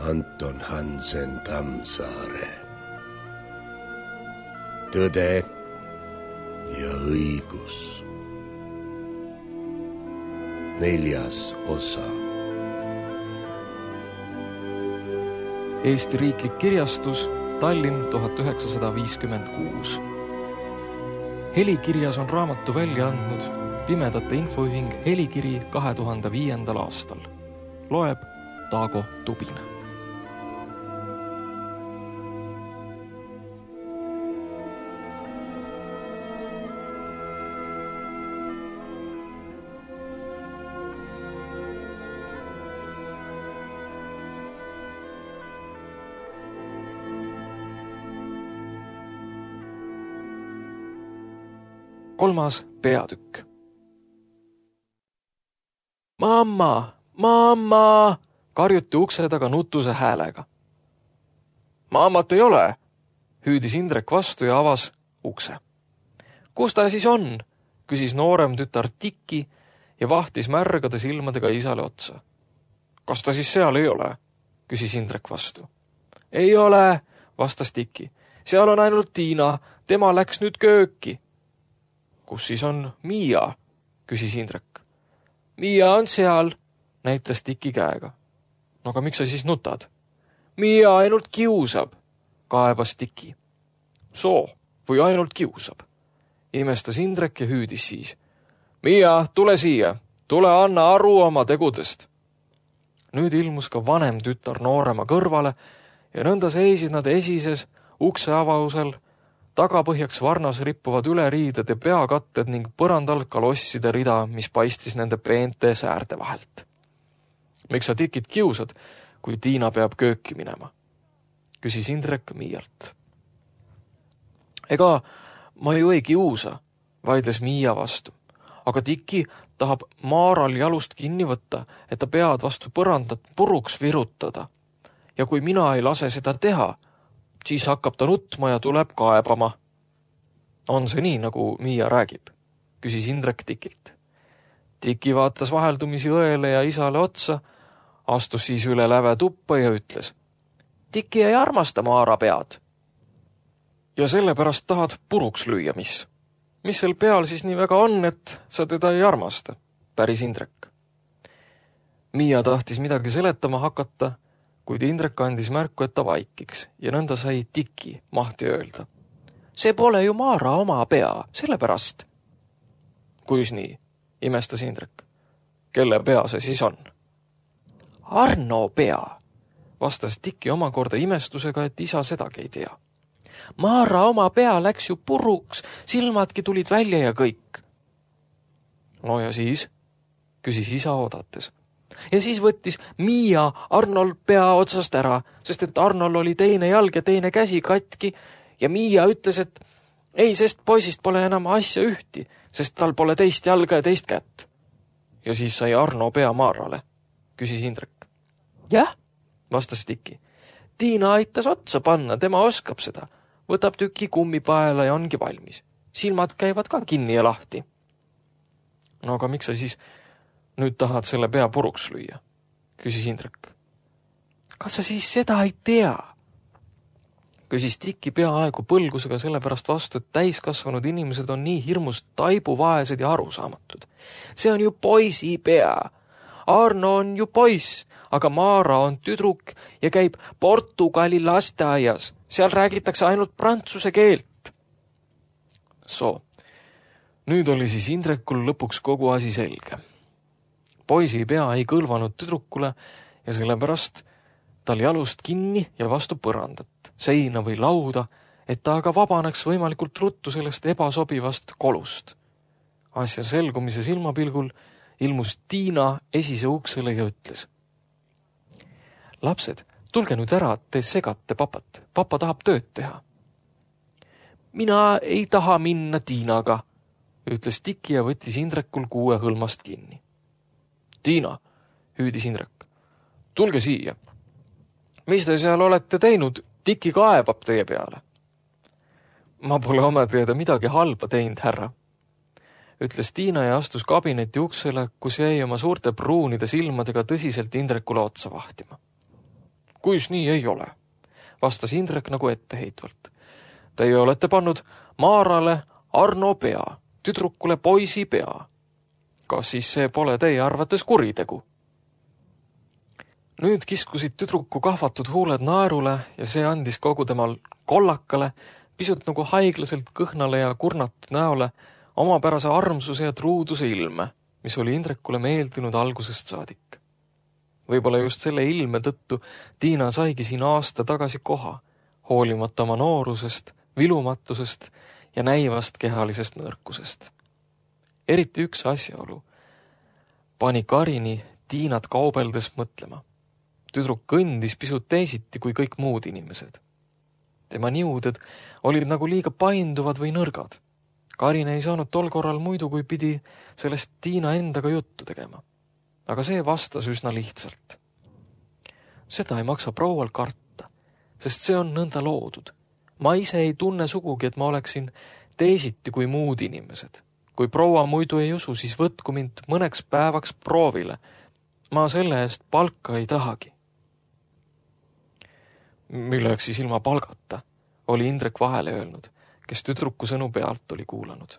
Anton Hansen Tammsaare. Tõde ja õigus. 4. osa. Eesti Riiklik Kirjastus, Tallinn 1956. Helikirjas on raamatu välja andnud Pimedate Infoühing Helikiri 2005. aastal. Loeb Taago Tubin. Kolmas peatükk. Mamma, mamma, karjuti ukse taga nutuse häälega. Mammat ei ole, hüüdis Indrek vastu ja avas ukse. Kus ta siis on, küsis noorem tütar Tiki ja vahtis märgade silmadega isale otsa. Kas ta siis seal ei ole, küsis Indrek vastu. Ei ole, vastas Tiki. Seal on ainult Tiina, tema läks nüüd kööki. Kus siis on Miia, küsis Indrek. Miia on seal, näitas Tiki käega. No aga miks sa siis nutad? Miia ainult kiusab, kaebas Tiki. Soo, või ainult kiusab, imestas Indrek ja hüüdis siis. Miia, tule siia, tule anna aru oma tegudest. Nüüd ilmus ka vanem tütar noorema kõrvale ja nõnda seisid nad esises ukse avausel, tagapõhjaks varnas rippuvad üleriided ja peakatted ning põrandal kalosside rida, mis paistis nende peente säärde vahelt. Miks sa Tikit kiusad, kui Tiina peab kööki minema? Küsis Indrek Miialt. Ega ma ju ei kiusa, vaidles Miia vastu. Aga Tiki tahab Maaral jalust kinni võtta, et ta pead vastu põrandat puruks virutada. Ja kui mina ei lase seda teha, siis hakkab ta nutma ja tuleb kaebama. On see nii, nagu Miia räägib, küsis Indrek Tikilt. Tiki vaatas vaheldumisi õele ja isale otsa, astus siis üle läve tuppa ja ütles. Tiki ei armasta Maara pead. Ja sellepärast tahad puruks lüüa, mis? Mis sel peal siis nii väga on, et sa teda ei armasta, päris Indrek. Miia tahtis midagi seletama hakata, kuid Indrek andis märku, et ta vaikiks ja nõnda sai Tiki mahti öelda. See pole ju Maara oma pea, sellepärast. Kuis nii, imestas Indrek. Kelle pea see siis on? Arno pea, vastas Tiki omakorda imestusega, et isa sedagi ei tea. Maara oma pea läks ju puruks, silmadki tulid välja ja kõik. No ja siis, küsis isa oodates. Ja siis võttis Miia Arnol pea otsast ära, sest et Arnol oli teine jalg ja teine käsi katki ja Miia ütles, et ei, sest poisist pole enam asja ühti, sest tal pole teist jalga ja teist kätt. Ja siis sai Arno pea Maarale, küsis Indrek. Jah, vastas Tiki. Tiina aitas otsa panna, tema oskab seda. Võtab tüki kummipaela ja ongi valmis. Silmad käivad ka kinni ja lahti. No aga miks sa siis nüüd tahad selle pea puruks lüüa, küsis Indrek. Kas sa siis seda ei tea? Küsis Tiki peaaegu põlgusega sellepärast vastu, et täiskasvanud inimesed on nii hirmust taibuvaesed ja arusaamatud. See on ju poisi pea. Arno on ju poiss, aga Maara on tüdruk ja käib Portugali lasteaias. Seal räägitakse ainult prantsuse keelt. So, nüüd oli siis Indrekul lõpuks kogu asi selge. Poisi pea ei kõlvanud tüdrukule ja sellepärast tal jalust kinni ja vastu põrandat, seina või lauda, et ta aga vabaneks võimalikult ruttu sellest ebasobivast kolust. Asja selgumise silmapilgul ilmus Tiina esise uksele ja ütles. Lapsed, tulge nüüd ära, te segate papat. Papa tahab tööd teha. Mina ei taha minna Tiinaga, ütles Tiki ja võttis Indrekul kuue hõlmast kinni. Tiina, hüüdis Indrek, tulge siia. Mis te seal olete teinud? Tiki kaebab teie peale. Ma pole oma teada midagi halba teinud, härra, ütles Tiina ja astus kabineti uksele, kus jäi oma suurte pruunide silmadega tõsiselt Indrekule otsa vahtima. kuis nii ei ole, vastas Indrek nagu etteheitvalt. Teie olete pannud Maarale Arno pea, tüdrukule poisi pea. Kas siis see pole teie arvates kuritegu? Nüüd kiskusid tüdruku kahvatud huuled naerule ja see andis kogu temal kollakale, pisut nagu haiglaselt kõhnale ja kurnatud näole omapärase armsuse ja truuduse ilme, mis oli Indrekule meeldinud algusest saadik. Võib-olla just selle ilme tõttu Tiina saigi siin aasta tagasi koha, hoolimata oma noorusest, vilumatusest ja näivast kehalisest nõrkusest. Eriti üks asjaolu pani Karini Tiinat kaubeldes mõtlema. Tüdruk kõndis pisut teisiti kui kõik muud inimesed. Tema niuded olid nagu liiga painduvad või nõrgad. Karin ei saanud tol korral muidu, kui pidi sellest Tiina endaga juttu tegema. Aga see vastas üsna lihtsalt. Seda ei maksa proual karta, sest see on nõnda loodud. Ma ise ei tunne sugugi, et ma oleksin teisiti kui muud inimesed. Kui proua muidu ei usu, siis võtku mind mõneks päevaks proovile. Ma selle eest palka ei tahagi. Milleks siis ilma palgata, oli Indrek vahele öelnud, kes tüdruku sõnu pealt oli kuulanud.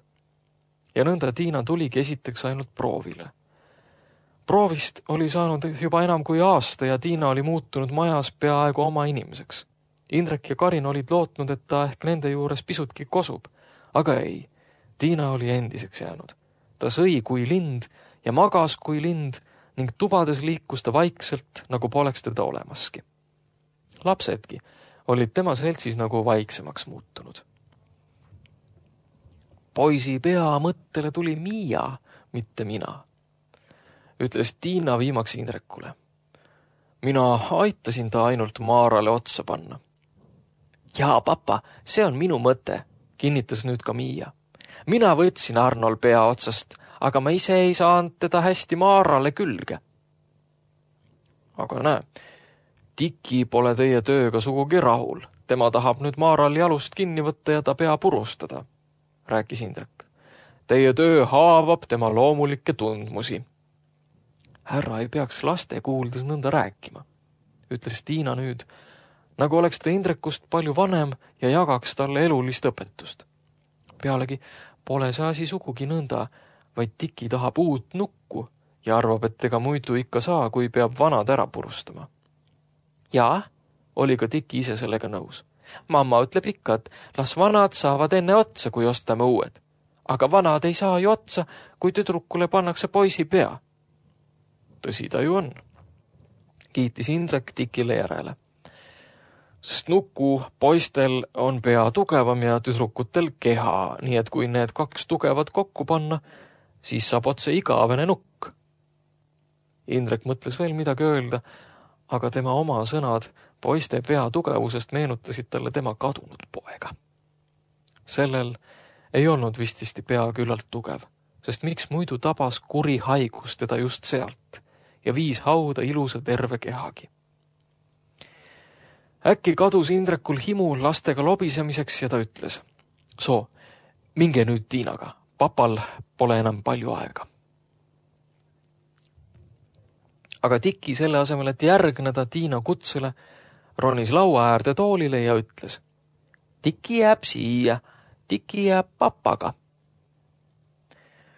Ja nõnda Tiina tuligi esiteks ainult proovile. Proovist oli saanud juba enam kui aasta ja Tiina oli muutunud majas peaaegu oma inimeseks. Indrek ja Karin olid lootnud, et ta ehk nende juures pisutki kosub, aga ei, Tiina oli endiseks jäänud. Ta sõi kui lind ja magas kui lind ning tubades liikus ta vaikselt, nagu poleks teda olemaski. Lapsedki olid tema seltsis nagu vaiksemaks muutunud. Poisi pea mõttele tuli Miia, mitte mina, ütles Tiina viimaks Indrekule. Mina aitasin ta ainult Maarale otsa panna. Jaa, papa, see on minu mõte, kinnitas nüüd ka Miia. Mina võtsin Arnol pea otsast, aga ma ise ei saanud teda hästi Maarale külge. Aga näe, Tiki pole teie tööga sugugi rahul. Tema tahab nüüd Maaral jalust kinni võtta ja ta pea purustada, rääkis Indrek. Teie töö haavab tema loomulikke tundmusi. Härra ei peaks laste kuuldes nõnda rääkima, ütles Tiina nüüd, nagu oleks ta Indrekust palju vanem ja jagaks talle elulist õpetust. Pealegi pole see asi sugugi nõnda, vaid Tiki tahab uut nukku ja arvab, et ega muidu ikka saa, kui peab vanad ära purustama. Jaa, oli ka Tiki ise sellega nõus. Mamma ütleb ikka, et las vanad saavad enne otsa, kui ostame uued. Aga vanad ei saa ju otsa, kui tüdrukule pannakse poisi pea. Tõsi ta ju on, kiitis Indrek Tikile järele. Sest nuku poistel on pea tugevam ja tüdrukutel keha, nii et kui need kaks tugevad kokku panna, siis saab otse igavene nukk. Indrek mõtles veel midagi öelda, aga tema oma sõnad poiste pea tugevusest meenutasid talle tema kadunud poega. Sellel ei olnud vististi pea küllalt tugev, sest miks muidu tabas kuri haigus teda just sealt ja viis hauda ilusa terve kehagi. Äkki kadus Indrekul himu lastega lobisemiseks ja ta ütles, soo, minge nüüd Tiinaga, papal pole enam palju aega. Aga Tiki selle asemel, et järgneda Tiina kutsele, ronis laua äärde toolile ja ütles, Tiki jääb siia, Tiki jääb papaga.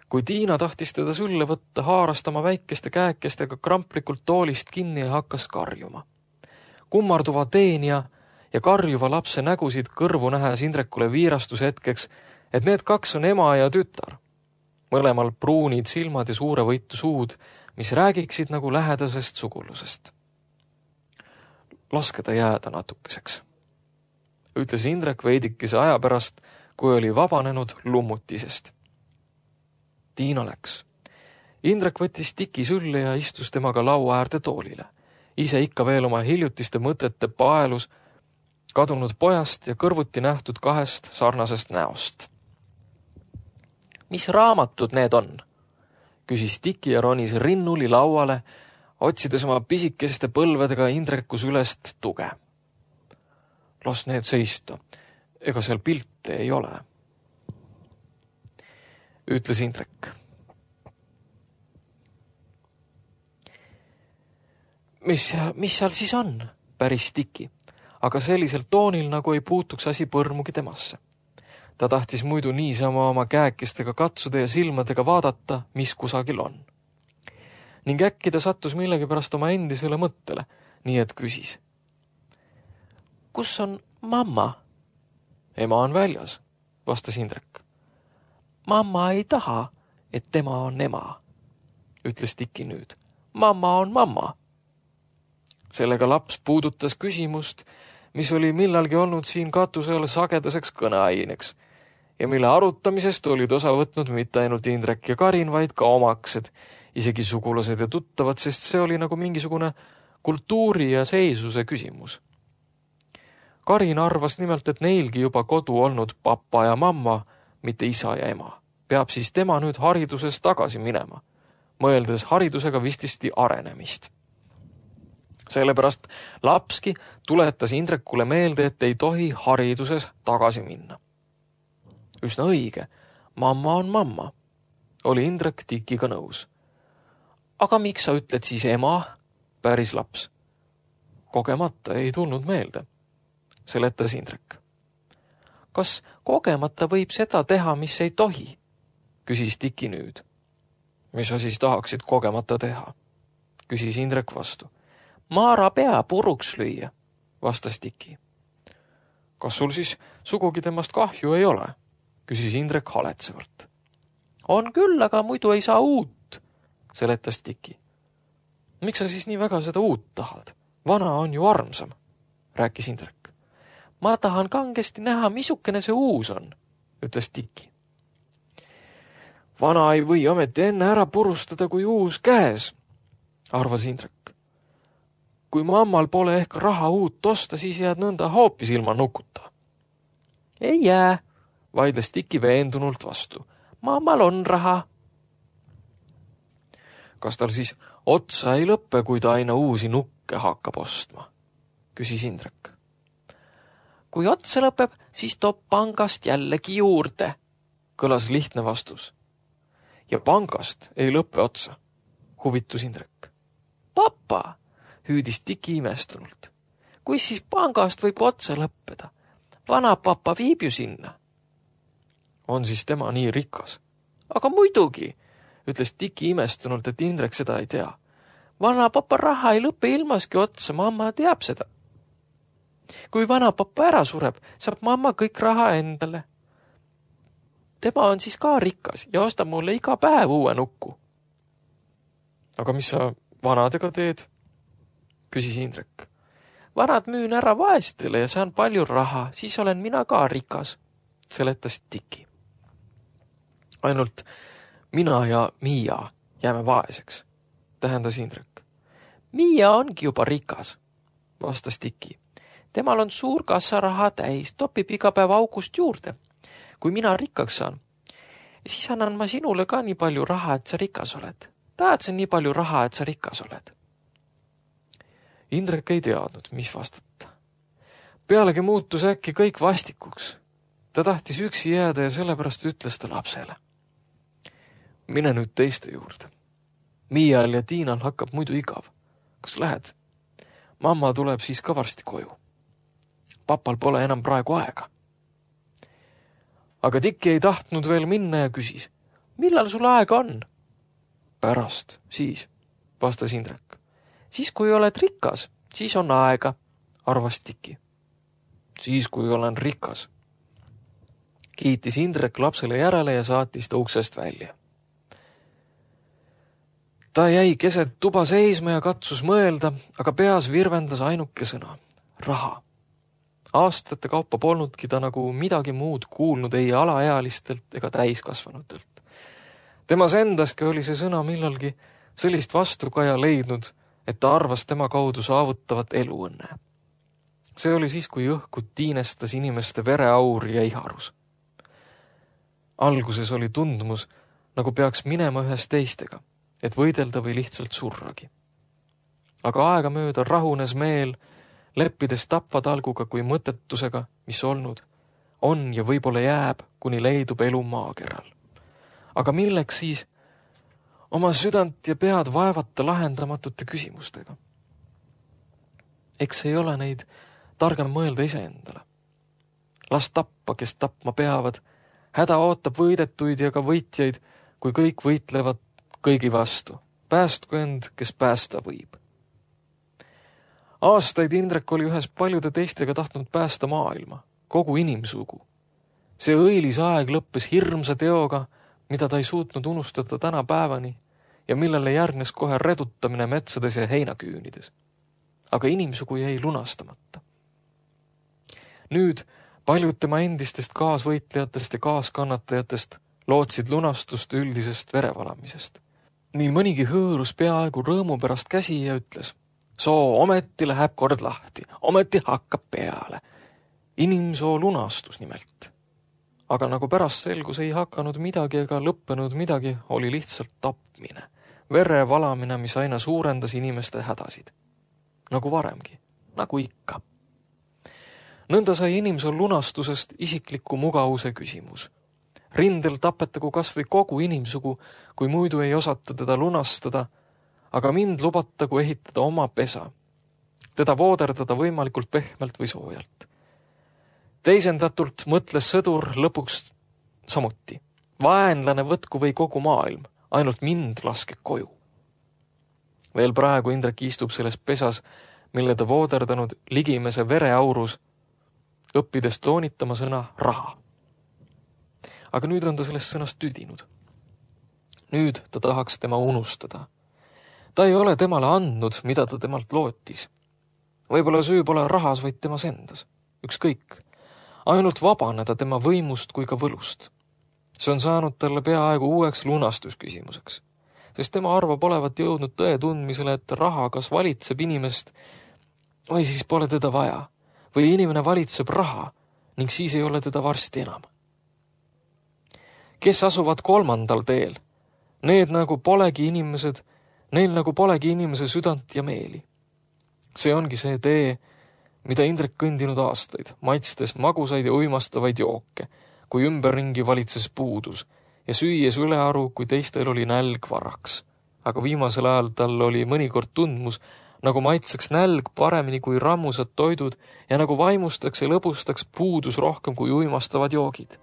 Kui Tiina tahtis teda sülle võtta, haaras tema väikeste käekestega kramplikult toolist kinni ja hakkas karjuma. Kummarduva teenija ja karjuva lapse nägusid kõrvu nähes Indrekule viirastus hetkeks, et need kaks on ema ja tütar. Mõlemal pruunid silmad ja suure võitu suud, mis räägiksid nagu lähedasest sugulusest. Laske ta jääda natukeseks, ütles Indrek veidikese aja pärast, kui oli vabanenud lummutisest. Tiina läks. Indrek võttis Tiki sülle ja istus temaga laua äärde toolile. Ise ikka veel oma hiljutiste mõtete paelus kadunud pojast ja kõrvuti nähtud kahest sarnasest näost. Mis raamatud need on? Küsis Tiki ja ronis rinnuli lauale, otsides oma pisikeste põlvedega Indreku sülest tuge. Las need seista, ega seal pilte ei ole, ütles Indrek. Mis seal siis on? päris Tiki, aga sellisel toonil, nagu ei puutuks asi põrmugi temasse. Ta tahtis muidu niisama oma käekestega katsuda ja silmadega vaadata, mis kusagil on. Ning äkki ta sattus millegipärast oma endisele mõttele, nii et küsis. Kus on mamma? Ema on väljas, vastas Indrek. Mamma ei taha, et tema on ema, ütles Tiki nüüd. Mamma on mamma. Sellega laps puudutas küsimust, mis oli millalgi olnud siin katusel sagedaseks kõneaineks ja mille arutamisest olid osa võtnud mitte ainult Indrek ja Karin, vaid ka omaksed, isegi sugulased ja tuttavad, sest see oli nagu mingisugune kultuuri ja seisuse küsimus. Karin arvas nimelt, et neilgi juba kodu olnud papa ja mamma, mitte isa ja ema. Peab siis tema nüüd hariduses tagasi minema, mõeldes haridusega vististi arenemist. Sellepärast lapski tuletas Indrekule meelde, et ei tohi hariduses tagasi minna. Üsna õige, mamma on mamma, oli Indrek Tikiga nõus. Aga miks sa ütled siis ema, päris laps? Kogemata ei tulnud meelde, seletas Indrek. Kas kogemata võib seda teha, mis ei tohi? Küsis Tiki nüüd. Mis sa siis tahaksid kogemata teha? Küsis Indrek vastu. Maara pea puruks lüüa, vastas Tiki. Kas sul siis sugugi temast kahju ei ole? Küsis Indrek haletsevalt. On küll, aga muidu ei saa uut, seletas Tiki. Miks sa siis nii väga seda uut tahad? Vana on ju armsam, rääkis Indrek. Ma tahan kangesti näha, missugune see uus on, ütles Tiki. Vana ei või ometi enne ära purustada, kui uus käes, arvas Indrek. Kui mammal pole ehk raha uut osta, siis jääd nõnda hoopis ilma nukuta. Ei jää, vaidles Tiki veendunult vastu. Mammal on raha. Kas tal siis otsa ei lõppe, kui ta aina uusi nukke hakkab ostma? Küsis Indrek. Kui otsa lõpeb, siis toob pangast jällegi juurde, kõlas lihtne vastus. Ja pangast ei lõppe otsa, huvitus Indrek. Papa, hüüdis Tiki imestunult. Kuis siis pangast võib otsa lõppeda? Vana papa viib ju sinna. On siis tema nii rikas? Aga muidugi, ütles Tiki imestunult, et Indrek seda ei tea. Vana papa raha ei lõppe ilmaski otsa, mamma teab seda. Kui vana papa ära sureb, saab mamma kõik raha endale. Tema on siis ka rikas ja ostab mulle iga päev uue nuku. Aga mis sa vanadega teed? Küsis Indrek. Vanad müün ära vaestele ja saan palju raha, siis olen mina ka rikas, seletas Tiki. Ainult mina ja Miia jääme vaeseks, tähendas Indrek. Miia ongi juba rikas, vastas Tiki. Temal on suur kassaraha täis, topib iga päev august juurde. Kui mina rikkaks saan, siis annan ma sinule ka nii palju raha, et sa rikas oled. Tahad sa nii palju raha, et sa rikas oled? Indrek ei teadnud, mis vastata. Pealegi muutus äkki kõik vastikuks. Ta tahtis üksi jääda ja sellepärast ütles ta lapsele. Mine nüüd teiste juurde. Miial ja Tiinal hakkab muidu igav. Kas lähed? Mamma tuleb siis ka varsti koju. Papal pole enam praegu aega. Aga Tiki ei tahtnud veel minna ja küsis. Millal sul aega on? Pärast, siis, vastas Indrek. Siis kui oled rikas, siis on aega, arvas Tiki. Siis kui olen rikas. Kiitis Indrek lapsele järele ja saatis ta uksest välja. Ta jäi keset tuba seisma ja katsus mõelda, aga peas virvendas ainuke sõna. Raha. Aastate kaupa polnudki ta nagu midagi muud kuulnud ei alaealistelt ega täiskasvanutelt. Temas endaski oli see sõna millalgi sellist vastukaja leidnud, et ta arvas tema kaudu saavutavat eluõnne. See oli siis, kui õhku tiinestas inimeste vereaur ja iharus. Alguses oli tundmus, nagu peaks minema ühes teistega, et võidelda või lihtsalt surragi. Aga aegamööda rahunes meel, leppides tapatalguga kui mõttetusega, mis olnud, on ja võib-olla jääb, kuni leidub elu maakeral. Aga milleks siis oma südant ja pead vaevata lahendamatute küsimustega? Eks ei ole neid targem mõelda iseendale. Las tappa, kes tapma peavad, häda ootab võidetuid ja ka võitjaid, kui kõik võitlevad kõigi vastu. Päästku end, kes päästa võib. Aastaid Indrek oli ühes paljude teistega tahtnud päästa maailma, kogu inimsugu. See õilis aeg lõppes hirmsa teoga, mida ta ei suutnud unustada tänapäevani ja millele järgnes kohe redutamine metsades ja heinaküünides. Aga inimsugu jäi lunastamata. Nüüd paljud tema endistest kaasvõitlejatest ja kaaskannatajatest lootsid lunastust üldisest verevalamisest. Nii mõnigi hõõrus peaaegu rõõmu pärast käsi ja ütles: soo ometi läheb kord lahti, ometi hakkab peale. Inimsoo lunastus nimelt. Aga nagu pärast selgus, ei hakanud midagi ega lõppenud midagi, oli lihtsalt tapmine, vere valamine, mis aina suurendas inimeste hädasid. Nagu varemgi, nagu ikka. Nõnda sai inimsoo lunastusest isikliku mugavuse küsimus. Rindel tapetagu kas või kogu inimsugu, kui muidu ei osata teda lunastada, aga mind lubatagu ehitada oma pesa, teda vooderdada võimalikult pehmelt või soojalt. Teisendatult mõtles sõdur lõpuks samuti. Vaenlane võtku või kogu maailm, ainult mind laske koju. Veel praegu Indrek istub selles pesas, mille ta vooderdanud ligimese vereaurus, õppides toonitama sõna raha. Aga nüüd on ta sellest sõnast tüdinud. Nüüd ta tahaks tema unustada. Ta ei ole temale andnud, mida ta temalt lootis. Võib-olla süü pole rahas, vaid temas endas. Ükskõik. Ainult vabaneda tema võimust kui ka võlust. See on saanud talle peaaegu uueks lunastusküsimuseks, sest tema arvab olevat jõudnud tõe tundmisele, et raha kas valitseb inimest või siis pole teda vaja, või inimene valitseb raha ning siis ei ole teda varsti enam. Kes asuvad kolmandal teel, need nagu polegi inimesed, neil nagu polegi inimese südant ja meeli. See ongi see tee, mida Indrek kõndinud aastaid, maitstes magusaid ja uimastavaid jooke, kui ümberringi valitses puudus ja süües ülearu, kui teistel oli nälg varaks. Aga viimasel ajal tal oli mõnikord tundmus, nagu maitseks nälg paremini kui rammusad toidud ja nagu vaimustaks ja lõbustaks puudus rohkem kui uimastavad joogid.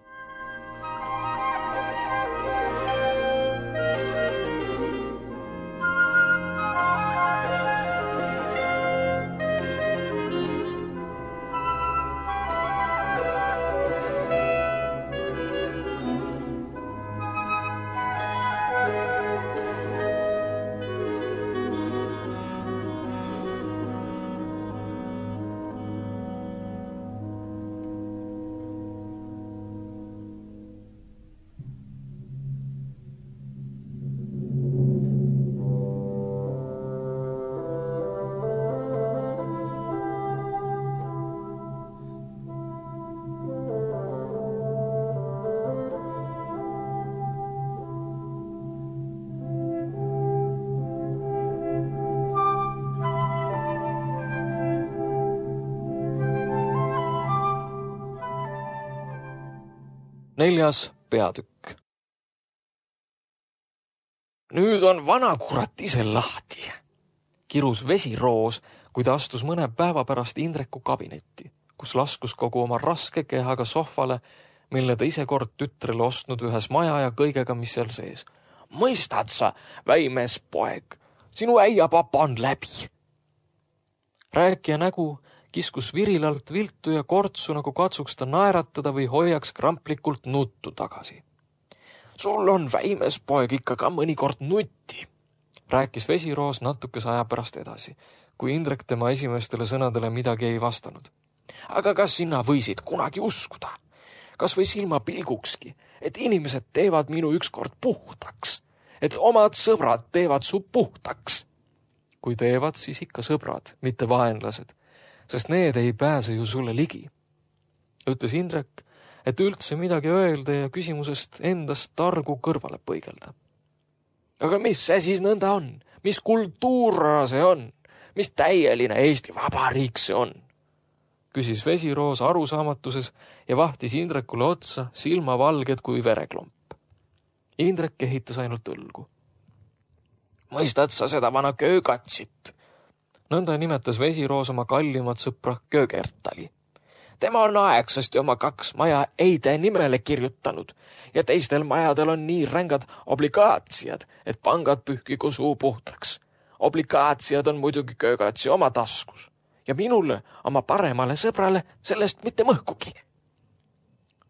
Neljas peatükk. Nüüd on vanakurat ise lahti, kirus Vesiroos, kui ta astus mõne päeva pärast Indreku kabinetti, kus laskus kogu oma raske kehaga sohvale, mille ta ise kord tütrele ostnud ühes maja ja kõigega, mis seal sees. Mõistad sa, väimes poeg, sinu äiapapa on läbi. Rääkija nägu kiskus virilalt viltu ja kortsu, nagu katsuks ta naeratada või hoiaks kramplikult nuttu tagasi. Sul on väimes poeg ikka ka mõnikord nutti, rääkis Vesiroos natukese aja pärast edasi, kui Indrek tema esimestele sõnadele midagi ei vastanud. Aga kas sina võisid kunagi uskuda, kas või silmapilgukski, et inimesed teevad minu ükskord puhtaks, et omad sõbrad teevad su puhtaks? Kui teevad, siis ikka sõbrad, mitte vaenlased, sest need ei pääse ju sulle ligi. Ütles Indrek, et üldse midagi öelda ja küsimusest endast targu kõrvale põigelda. Aga mis see siis nõnda on? Mis kultuura see on? Mis täieline Eesti Vabariik see on? Küsis Vesiroos arusaamatuses ja vahtis Indrekule otsa, silmavalged kui vereklomp. Indrek ehitas ainult õlgu. Mõistad sa seda vana köögatsit? Nõnda nimetas Vesiroos oma kallimat sõpra Köögertali. Tema on aegsasti oma 2 maja Eide nimele kirjutanud ja teistel majadel on nii rängad obligaatsiad, et pangad pühkigu suu puhtaks. Obligaatsiad on muidugi Köögatsi oma taskus ja minule, oma paremale sõbrale, sellest mitte mõhkugi.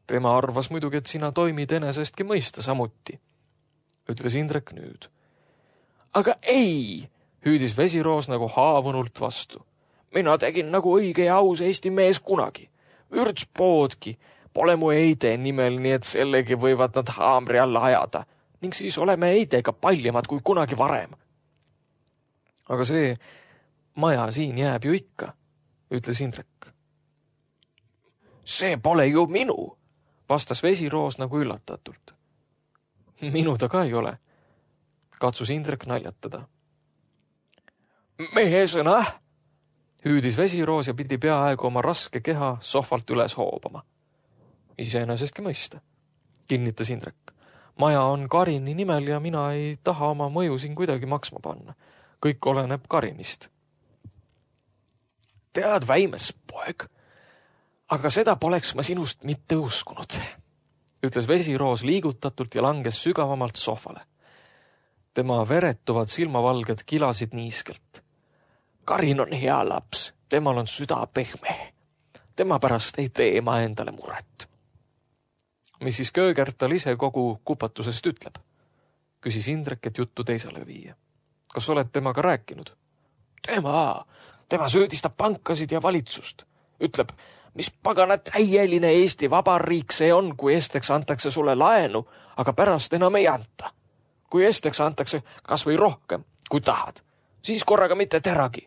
Tema arvas muidugi, et sina toimid enesestki mõista samuti, ütles Indrek nüüd. Aga ei, hüüdis Vesiroos nagu haavunult vastu. Mina tegin nagu õige ja aus Eesti mees kunagi. Vürtspoodki pole mu Eide nimel, nii et sellegi võivad nad haamri alla ajada ning siis oleme Eidega paljemad kui kunagi varem. Aga see maja siin jääb ju ikka, ütles Indrek. See pole ju minu, vastas Vesiroos nagu üllatatult. Minu ta ka ei ole, katsus Indrek naljatada. Mehe sõna, hüüdis Vesiroos ja pidi peaaegu oma raske keha sohvalt üles hoobama. Iseenesestki mõista, kinnitas Indrek. Maja on Karini nimel ja mina ei taha oma mõju siin kuidagi maksma panna. Kõik oleneb Karinist. Tead väimes, poeg, aga seda poleks ma sinust mitte uskunud, ütles Vesiroos liigutatult ja langes sügavamalt sohvale. Tema veretuvad silmavalged kilasid niiskelt. Karin on hea laps, temal on süda pehme. Tema pärast ei tee ma endale muret. Mis siis Köögertal ise kogu kupatusest ütleb? Küsis Indrek, et juttu teisele viia. Kas oled temaga rääkinud? Tema süüdistab pankasid ja valitsust. Ütleb, mis pagana täieline Eesti Vabariik see on, kui esteks antakse sulle laenu, aga pärast enam ei anta. Kui esteks antakse kas või rohkem, kui tahad, siis korraga mitte teragi.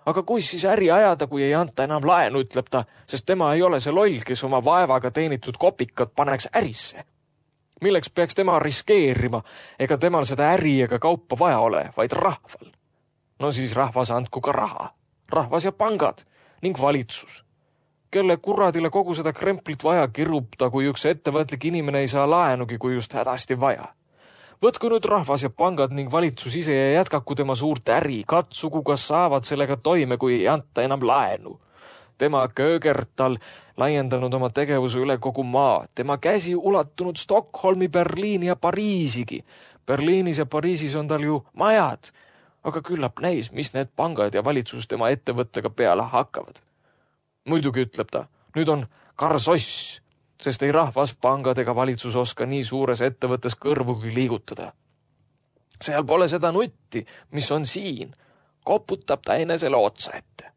Aga kui siis äri ajada, kui ei anta enam laenu, ütleb ta, sest tema ei ole see loll, kes oma vaevaga teenitud kopikad paneks ärisse. Milleks peaks tema riskeerima, ega temal seda äri ega kaupa vaja ole, vaid rahval. No siis rahvas andku ka raha. Rahvas ja pangad ning valitsus. Kelle kuradile kogu seda kremplit vaja kirub ta, kui üks ettevõtlik inimene ei saa laenugi, kui just hädasti vaja. Võtku nüüd rahvas ja pangad ning valitsus ise ja jätkaku tema suurt äri, katsugu, kas saavad sellega toime, kui ei anta enam laenu. Tema Köögertal laiendanud oma tegevuse üle kogu maa, tema käsi ulatunud Stockholmi, Berliini ja Pariisigi. Berliinis ja Pariisis on tal ju majad, aga küllap näis, mis need pangad ja valitsus tema ettevõttega peale hakkavad. Muidugi ütleb ta, nüüd on karsoss, sest ei rahvas, pangad ega valitsus oska nii suures ettevõttes kõrvugi liigutada. Seal pole seda nutti, mis on siin, koputab ta enesele otsa ette.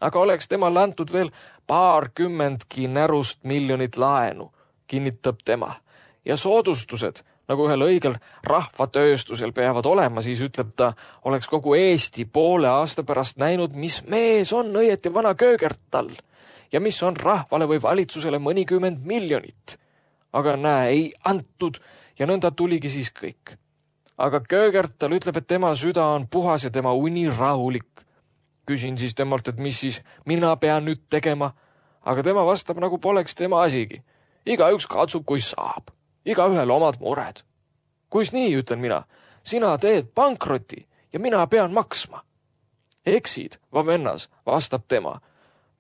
Aga oleks temal antud veel 20 närust miljonit laenu, kinnitab tema, ja soodustused, nagu ühel õigel rahvatööstusel peavad olema, siis ütleb ta, oleks kogu Eesti poole aasta pärast näinud, mis mees on õieti vana Köögertal ja mis on rahvale või valitsusele mõnikümmend miljonit. Aga näe, ei antud ja nõnda tuligi siis kõik. Aga Köögertal ütleb, et tema süda on puhas ja tema uni rahulik. Küsin siis temalt, et mis siis mina pean nüüd tegema, aga tema vastab, nagu poleks tema asigi. Igaüks katsub, kui saab. Igaühel omad mured. Kuis nii, ütlen mina, sina teed pankroti ja mina pean maksma. Eksid, vamennas, vastab tema.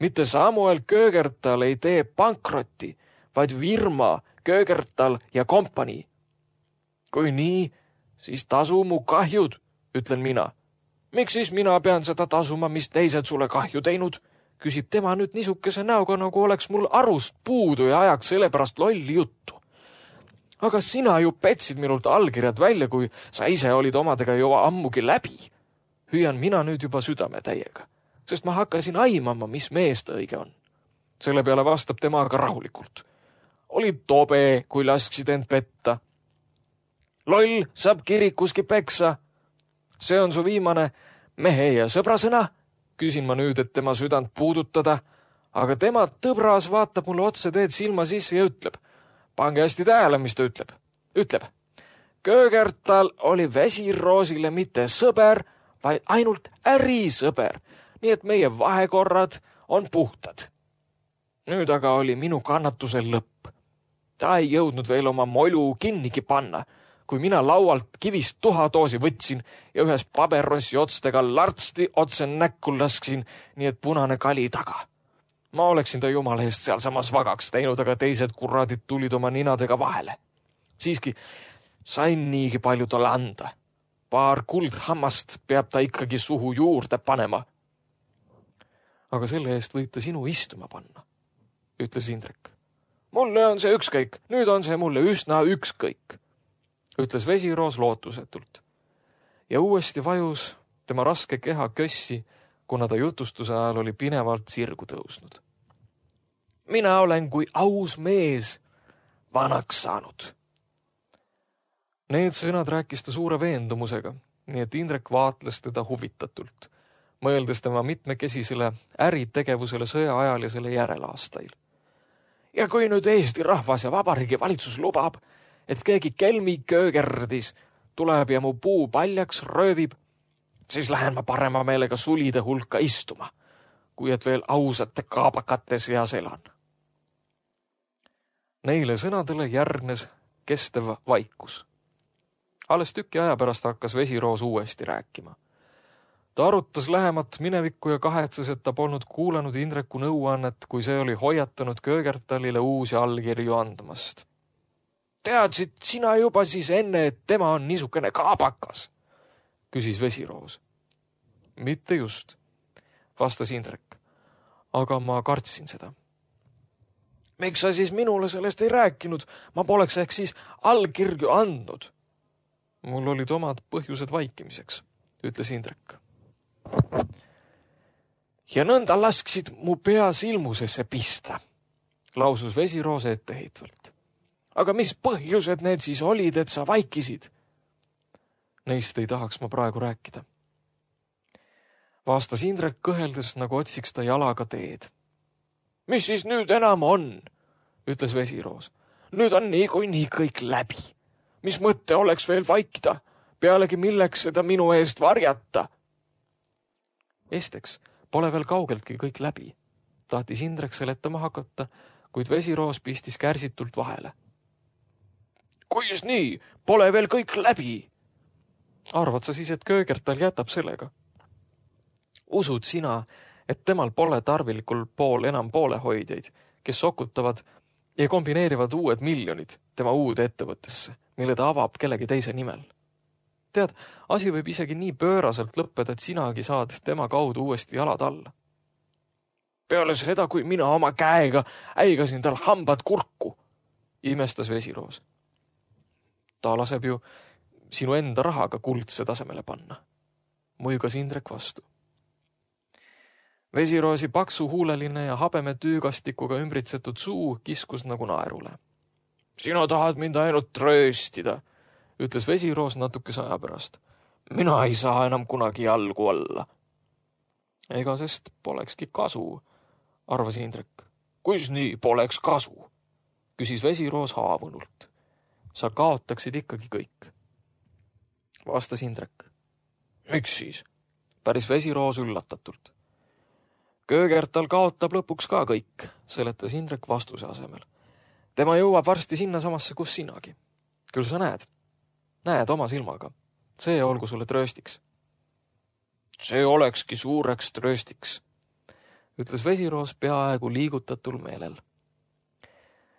Mitte Samuel Köögertal ei tee pankrotti, vaid firma Köögertal ja kompanii. Kui nii, siis tasu mu kahjud, ütlen mina. Miks siis mina pean seda tasuma, mis teised sulle kahju teinud? Küsib tema nüüd niisukese näoga, nagu oleks mul arust puudu ja ajaks sellepärast lolli juttu. Aga sina ju petsid minult allkirjad välja, kui sa ise olid omadega juba ammugi läbi. Hüüan mina nüüd juba südame täiega, sest ma hakkasin aimama, mis mees ta õige on. Selle peale vastab tema aga rahulikult. Oli tobe, kui lasksid end petta. Loll saab kirikuski peksa. See on su viimane mehe ja sõbrasõna, küsin ma nüüd, et tema südant puudutada, aga tema tõbras vaatab mulle otse teed silma sisse ja ütleb, pange hästi tähele, mis ta ütleb. Ütleb, Köögertal oli Vesiroosile mitte sõber, vaid ainult ärisõber, nii et meie vahekorrad on puhtad. Nüüd aga oli minu kannatusel lõpp. Ta ei jõudnud veel oma molu kinnigi panna, kui mina laualt kivist tuhadoosi võtsin ja ühes paberrossi otstega lartsti otse näkku lasksin, nii et punane kali taga. Ma oleksin ta jumala eest sealsamas vagaks teinud, aga teised kurradid tulid oma ninadega vahele. Siiski sain niigi palju talle anda. Paar kuldhammast peab ta ikkagi suhu juurde panema. Aga selle eest võib ta sinu istuma panna, ütles Indrek. Mulle on see ükskõik, nüüd on see mulle üsna ükskõik, ütles Vesiroos lootusetult. Ja uuesti vajus tema raske keha kössi, kuna ta jutustuse ajal oli pinevalt sirgu tõusnud. Mina olen kui aus mees vanaks saanud. Need sõnad rääkis ta suure veendumusega, nii et Indrek vaatles teda huvitatult, mõeldes tema mitmekesisele äritegevusele sõja ajal ja selle järelaastail. Ja kui nüüd Eesti rahvas ja vabariigi valitsus lubab, et keegi kelmi köögerdis tuleb ja mu puu paljaks röövib, siis lähen ma parema meelega sulide hulka istuma, kui et veel ausate kaabakate seas elan. Neile sõnadele järgnes kestev vaikus. Alles tüki aja pärast hakkas Vesiroos uuesti rääkima. Ta arutas lähemat minevikku ja kahetses, et ta polnud kuulanud Indreku nõuannet, kui see oli hoiatanud Köögertalile uusi allkirju andmast. Teadsid sina juba siis enne, et tema on niisugune kaabakas, küsis Vesiroos. Mitte just, vastas Indrek, aga ma kartsin seda. Miks sa siis minule sellest ei rääkinud? Ma poleks ehk siis allkirju andnud. Mul olid omad põhjused vaikimiseks, ütles Indrek. Ja nõnda lasksid mu pea silmusesse pista, lausus Vesiroos etteheitvalt. Aga mis põhjused need siis olid, et sa vaikisid? Neist ei tahaks ma praegu rääkida. Vastas Indrek kõheldes, nagu otsiks ta jalaga teed. Mis siis nüüd enam on, ütles Vesiroos. Nüüd on niikuinii kõik läbi. Mis mõtte oleks veel vaikida? Pealegi milleks seda minu eest varjata? Esteks pole veel kaugeltki kõik läbi. Tahtis Indrek seletama hakata, kuid Vesiroos pistis kärsitult vahele. Kuis nii? Pole veel kõik läbi? Arvad sa siis, et Köögertal jätab sellega? Usud sina, et temal pole tarvilikul pool enam poolehoidjaid, kes sokutavad ja kombineerivad uued miljonid tema uude ettevõttesse, mille ta avab kellegi teise nimel? Tead, asi võib isegi nii pööraselt lõppeda, et sinagi saad tema kaudu uuesti jalad alla. Peale seda, kui mina oma käega äigasin tal hambad kurku, imestas Vesiroos. Ta laseb ju sinu enda rahaga kuldse tasemele panna, muigas Indrek vastu. Vesiroosi paksu huuleline ja habeme tüügastikuga ümbritsetud suu kiskus nagu naerule. Sina tahad mind ainult trööstida, ütles Vesiroos natukese aja pärast. Mina ei saa enam kunagi jalgu olla. Ega sest polekski kasu, arvas Indrek. Kuis nii poleks kasu? Küsis Vesiroos haavunult. Sa kaotaksid ikkagi kõik. Vastas Indrek. Miks siis? Päris Vesiroos üllatatult. Köögertal kaotab lõpuks ka kõik, seletas Indrek vastuse asemel. Tema jõuab varsti sinna samasse, kus sinagi. Küll sa näed. Näed oma silmaga. See olgu sulle trööstiks. See olekski suureks trööstiks, ütles Vesiroos peaaegu liigutatul meelel.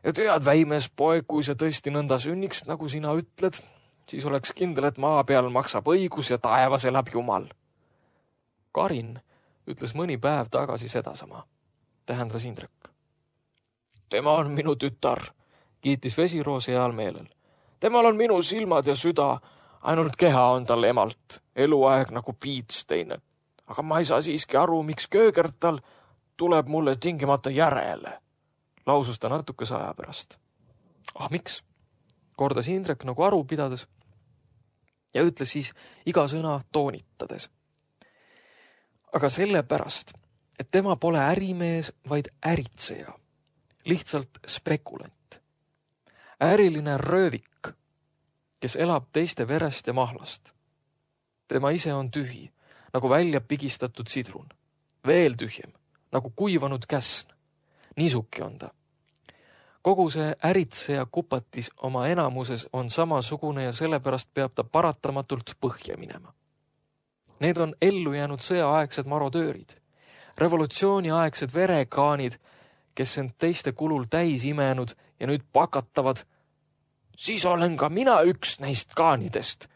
Ja tead, väimees poeg, kui see tõesti nõnda sünniks, nagu sina ütled, siis oleks kindel, et maa peal maksab õigus ja taevas elab Jumal. Karin ütles mõni päev tagasi sedasama, tähendas Indrek. Tema on minu tütar, kiitis Vesiroos heal meelel. Temal on minu silmad ja süda, ainult keha on tal emalt, eluaeg nagu piits teine. Aga ma ei saa siiski aru, miks Köögertal tuleb mulle tingimata järele, lausus ta natukese aja pärast. Miks? Kordas Indrek nagu aru pidades ja ütles siis iga sõna toonitades. Aga sellepärast, et tema pole ärimees, vaid äritseja, lihtsalt spekulant. Äriline röövik, kes elab teiste verest ja mahlast. Tema ise on tühi, nagu välja pigistatud sidrun. Veel tühjem, nagu kuivanud käsn. Niisuki on ta. Kogu see äritseja kupatis oma enamuses on samasugune ja sellepärast peab ta paratamatult põhja minema. Need on ellu jäänud sõjaaegsed marodöörid, revolutsiooniaegsed verekaanid, kes end teiste kulul täis imenud ja nüüd pakatavad. Siis olen ka mina üks neist kaanidest,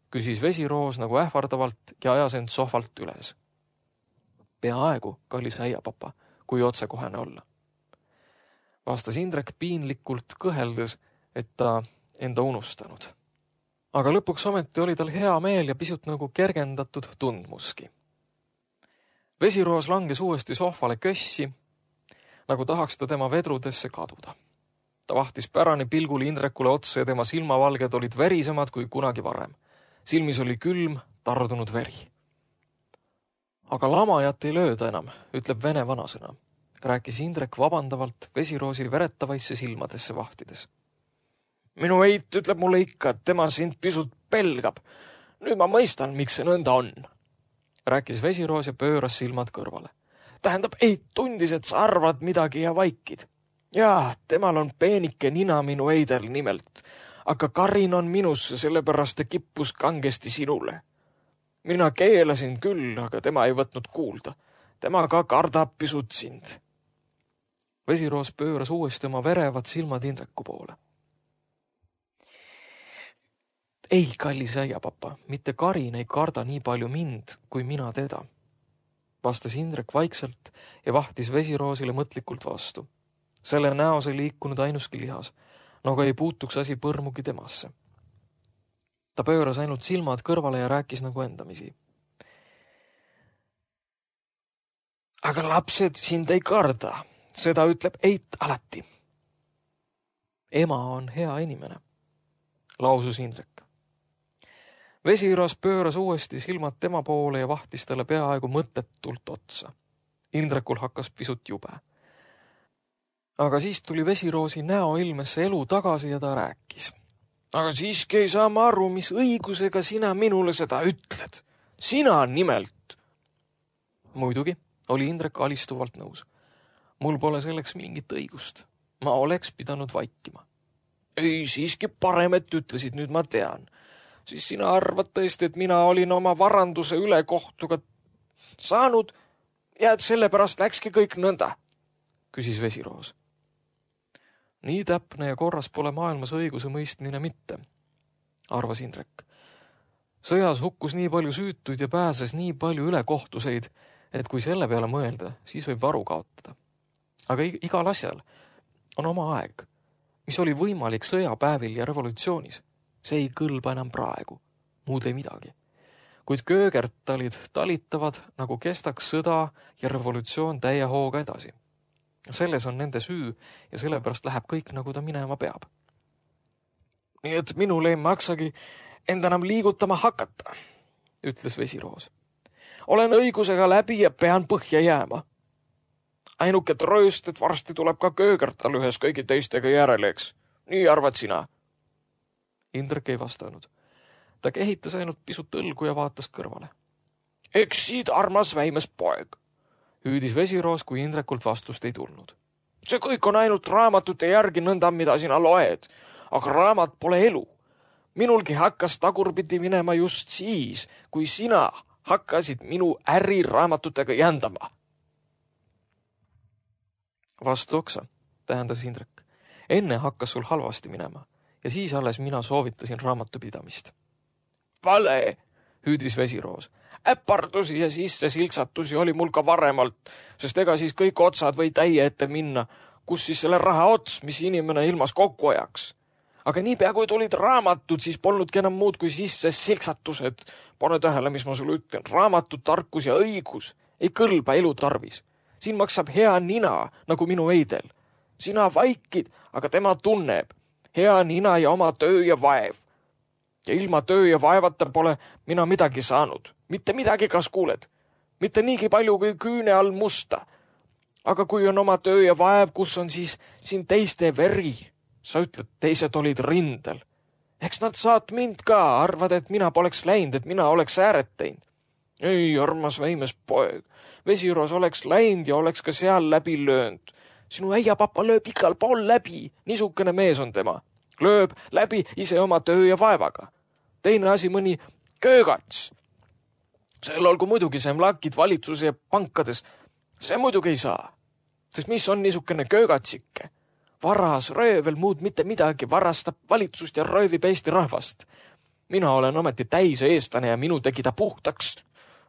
küsis Vesiroos nagu ähvardavalt ja ajas end sohvalt üles. Peaaegu, kallis äiapapa, kui otsekohene olla. Vastas Indrek piinlikult kõheldes, et ta enda unustanud. Aga lõpuks ometi oli tal hea meel ja pisut nagu kergendatud tundmuski. Vesiroos langes uuesti sohvale kössi, nagu tahaks ta tema vedrudesse kaduda. Ta vahtis pärani pilgul Indrekule otsa ja tema silmavalged olid verisemad kui kunagi varem. Silmis oli külm, tardunud veri. Aga lamajat ei lööda enam, ütleb vene vanasõna, rääkis Indrek vabandavalt Vesiroosi veretavaisse silmadesse vahtides. Minu eit ütleb mulle ikka, et tema sind pisut pelgab. Nüüd ma mõistan, miks see nõnda on, rääkis Vesiroos ja pööras silmad kõrvale. Tähendab, eit tundis, et sa arvad midagi ja vaikid. Jaa, temal on peenike nina minu eidel nimelt, aga Karin on minusse, sellepärast ta kippus kangesti sinule. Mina keelasin küll, aga tema ei võtnud kuulda. Tema ka kardab pisut sind. Vesiroos pööras uuesti oma verevad silmad Indreku poole. Ei, kallis äiapapa, mitte Karin ei karda nii palju mind, kui mina teda, vastas Indrek vaikselt ja vahtis Vesiroosile mõtlikult vastu. Selle näos ei liikunud ainuski lihas, nagu ei puutuks asi põrmugi temasse. Ta pööras ainult silmad kõrvale ja rääkis nagu endamisi. Aga lapsed sind ei karda, seda ütleb eit alati. Ema on hea inimene, lausus Indrek. Vesiroos pööras uuesti silmad tema poole ja vahtis talle peaaegu mõttetult otsa. Indrekul hakkas pisut jube. Aga siis tuli Vesiroosi näoilmesse elu tagasi ja ta rääkis. Aga siiski ei saa ma aru, mis õigusega sina minule seda ütled. Sina nimelt. Muidugi, oli Indrek alistuvalt nõus. Mul pole selleks mingit õigust. Ma oleks pidanud vaikima. Ei, siiski parem, et ütlesid, nüüd ma tean. Siis sina arvad tõesti, et mina olin oma varanduse ülekohtuga saanud ja et sellepärast läkski kõik nõnda, küsis Vesiroos. Nii täpne ja korras pole maailmas õiguse mõistmine mitte, arvas Indrek. Sõjas hukkus nii palju süütuid ja pääses nii palju ülekohtuseid, et kui selle peale mõelda, siis võib varu kaotada. Aga igal asjal on oma aeg, mis oli võimalik sõjapäevil ja revolutsioonis. See ei kõlba enam praegu, muud ei midagi. Kuid köögertalid talitavad, nagu kestaks sõda ja revolutsioon täie hooga edasi. Selles on nende süü ja sellepärast läheb kõik, nagu ta minema peab. Nii et minul ei maksagi end enam liigutama hakata, ütles Vesiroos. Olen õigusega läbi ja pean põhja jääma. Ainuke trööst, et varsti tuleb ka köögertal ühes kõigi teistega järeleks. Nii arvad sina? Indrek ei vastanud. Ta kehitas ainult pisut õlgu ja vaatas kõrvale. Eksid, armas väimes poeg, hüüdis Vesiroos, kui Indrekult vastust ei tulnud. See kõik on ainult raamatute järgi nõnda, mida sina loed, aga raamat pole elu. Minulgi hakkas tagurpidi minema just siis, kui sina hakkasid minu äri raamatutega jändama. Vastu oksa, tähendas Indrek. Enne hakkas sul halvasti minema. Ja siis alles mina soovitasin raamatupidamist. Vale, hüüdis Vesiroos. Äpardusi ja sisse silksatusi oli mul ka varemalt, sest ega siis kõik otsad või täie ette minna, kus siis selle raha ots, mis inimene ilmas kokku ajaks. Aga niipea kui tulid raamatud, siis polnudki enam muud kui sisse silksatused. Pane tähele, mis ma sulle ütlen. Raamatud, tarkus ja õigus ei kõlba elu tarvis. Siin maksab hea nina, nagu minu eidel. Sina vaikid, aga tema tunneb. Hea nina ja oma töö ja vaev. Ja ilma töö ja vaevata pole mina midagi saanud. Mitte midagi, kas kuuled. Mitte niigi palju kui küüne all musta. Aga kui on oma töö ja vaev, kus on siis siin teiste veri? Sa ütled, teised olid rindel. Eks nad saat mind ka, arvad, et mina poleks läinud, et mina oleks ääret teinud. Ei, armas väimes poeg. Vesiroos oleks läinud ja oleks ka seal läbi löönud. Sinu äiapappa lööb igal pool läbi, niisugune mees on tema. Lööb läbi ise oma töö ja vaevaga. Teine asi mõni köögats. Sel olgu muidugi see mlakid valitsuse ja pankades. See muidugi ei saa. Sest mis on niisugune köögatsikke? Varas, röövel, muud mitte midagi, varastab valitsust ja röövib Eesti rahvast. Mina olen ometi täise eestlane ja minu tegi ta puhtaks.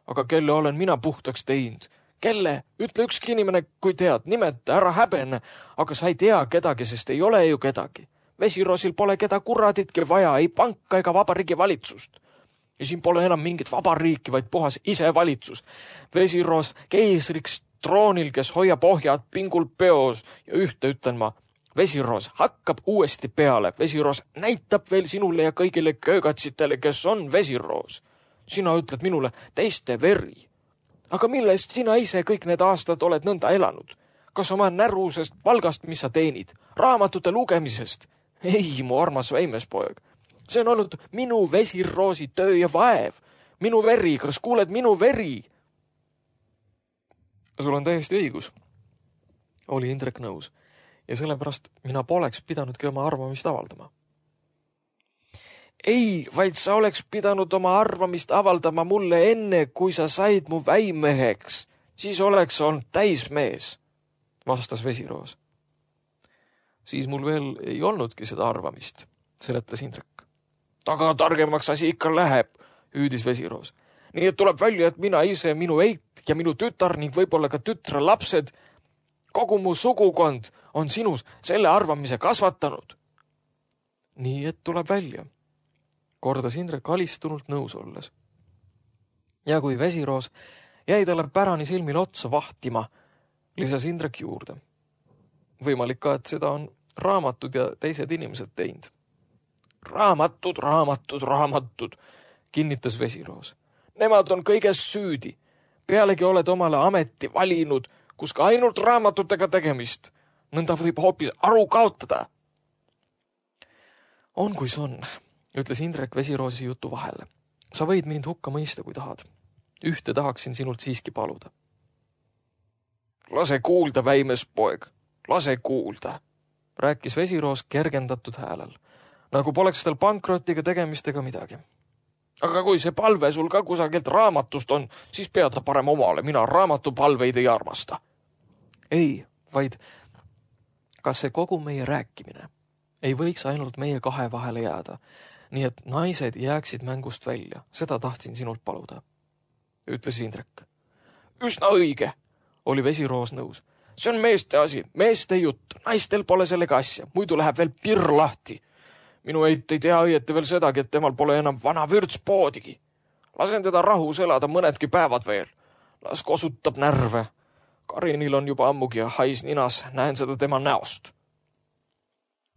Aga kelle olen mina puhtaks teinud? Kelle? Ütle ükski inimene, kui tead, nimeta, ära häbene, aga sa ei tea kedagi, sest ei ole ju kedagi. Vesiroosil pole keda kuraditki vaja, ei panka ega vabariigi valitsust. Ja siin pole enam mingit vabariiki, vaid puhas ise valitsus. Vesiroos keisriks troonil, kes hoiab ohjad pingul peos ja ühte ütlen ma. Vesiroos hakkab uuesti peale. Vesiroos näitab veel sinule ja kõigile köögatsitele, kes on Vesiroos. Sina ütled minule teiste veri. Aga millest sina ise kõik need aastad oled nõnda elanud? Kas oma närusest palgast, mis sa teenid? Raamatute lugemisest? Ei, mu armas väimespoeg. See on olnud minu Vesiroosi töö ja vaev. Minu veri, kas kuuled minu veri? Sul on täiesti õigus. Oli Indrek nõus. Ja sellepärast mina poleks pidanudki oma arvamist avaldama. Ei, vaid sa oleks pidanud oma arvamist avaldama mulle enne, kui sa said mu väimeheks. Siis oleks olnud täismees, vastas Vesiroos. Siis mul veel ei olnudki seda arvamist, seletas Indrek. Taga targemaks asi ikka läheb, hüüdis Vesiroos. Nii et tuleb välja, et mina ise, minu eit ja minu tütar ning võib-olla ka tütre lapsed, kogu mu sugukond on sinus selle arvamise kasvatanud. Nii et tuleb välja, kordas Indrek alistunult nõus olles. Ja kui Vesiroos jäi talle pärani silmil otsa vahtima, lisas Indrek juurde. Võimalik ka, et seda on raamatud ja teised inimesed teinud. Raamatud, kinnitas Vesiroos. Nemad on kõiges süüdi. Pealegi oled omale ameti valinud, kus ka ainult raamatutega tegemist. Nõnda võib hoopis aru kaotada. On kuis on, ütles Indrek Vesiroosi jutu vahele. Sa võid mind hukka mõista, kui tahad. Ühte tahaksin sinult siiski paluda. Lase kuulda, väimespoeg, lase kuulda, rääkis Vesiroos kergendatud häälel, nagu poleks tal pankrotiga tegemistega midagi. Aga kui see palve sul ka kusagilt raamatust on, siis pead ta parem omale, mina raamatupalveid ei armasta. Ei, vaid kas see kogu meie rääkimine ei võiks ainult meie kahe vahele jääda, nii et naised jääksid mängust välja, seda tahtsin sinult paluda, ütles Indrek. Üsna õige, oli Vesiroos nõus. See on meeste asi, meeste jutt, naistel pole sellega asja, muidu läheb veel pirr lahti. Minu eit ei tea õieti veel sedagi, et temal pole enam vana vürtspoodigi. Lasen teda rahus elada mõnedki päevad veel. Las kosutab närve. Karinil on juba ammugi ja hais ninas, näen seda tema näost.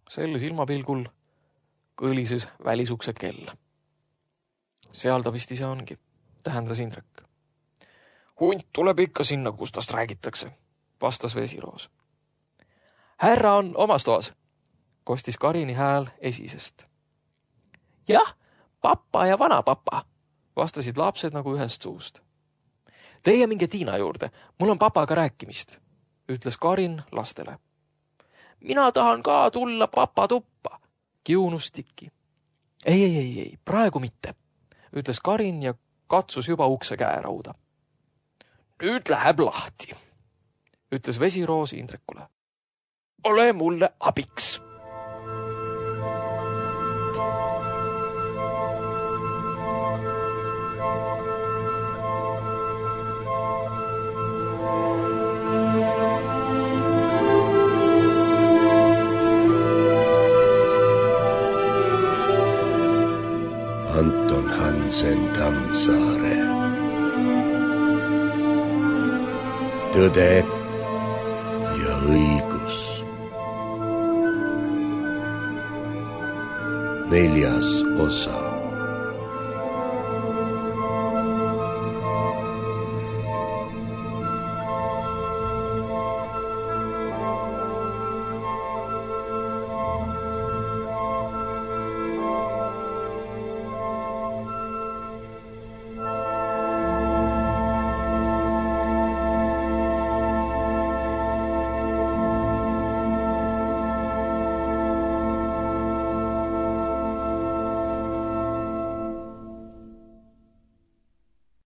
Sel silmapilgul kõlises välisukse kell. Seal ta vist ise ongi, tähendas Indrek. Hunt tuleb ikka sinna, kus tast räägitakse, vastas Vesiroos. Härra on omas toas, kostis Karini hääl esisest. Jah, papa ja vanapapa, vastasid lapsed nagu ühest suust. Teie minge Tiina juurde, mul on papaga rääkimist, ütles Karin lastele. Mina tahan ka tulla papa tuppa, kiunus Tiki. Ei, praegu mitte, ütles Karin ja katsus juba ukse käerauda. Nüüd läheb lahti, ütles Vesiroos Indrekule. Ole mulle abiks. Anton Hansen Tammsaare. Tõde ja õigus. 4. osa.